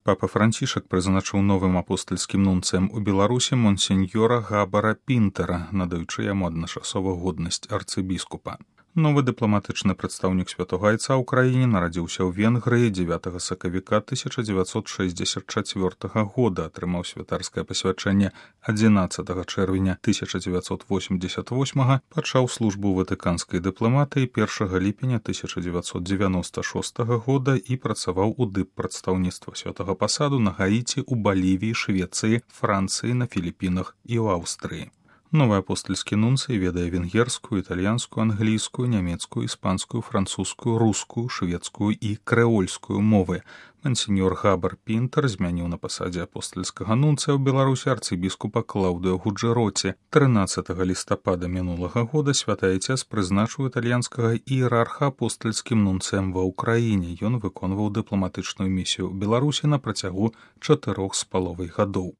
Папа Францішак прызначыў новым апостальскім нунцыем у Беларусі монсеньёра Габара Пінтера, надаючы яму адначасова годнасць арцыбіскупа. Новы дыпламатычны прадстаўнік Святога Айца ў краіне нарадзіўся ў Венгрыі 9 сакавіка 1964 года, атрымаў святарскае пасвячэнне 11 чэрвеня 1988, пачаў службу ватыканскай дыпламатыі 1 ліпеня 1996 года і працаваў у дыппрадстаўніцтва святага пасаду на Гаіці, у Балівіі, Швецыі, Францыі, на Філіпінах і ў Аўстрыі. Новы апостальскі нунцый ведае венгерскую, італьянскую, англійскую, нямецкую, іспанскую, французскую, рускую, шведскую і крэольскую мовы. Монсеньёр Габар Пінтер змяніў на пасадзе апостальскага нунцыя ў Беларусі арцыбіскупа Клаўдыо Гуджэроці. 13 лістапада мінулага года святы Айцец прызначыў італьянскага іерарха апостальскім нунцыем ва ўкраіне. Ён выконваў дыпламатычную місію ў Беларусі на працягу 4,5 гадоў.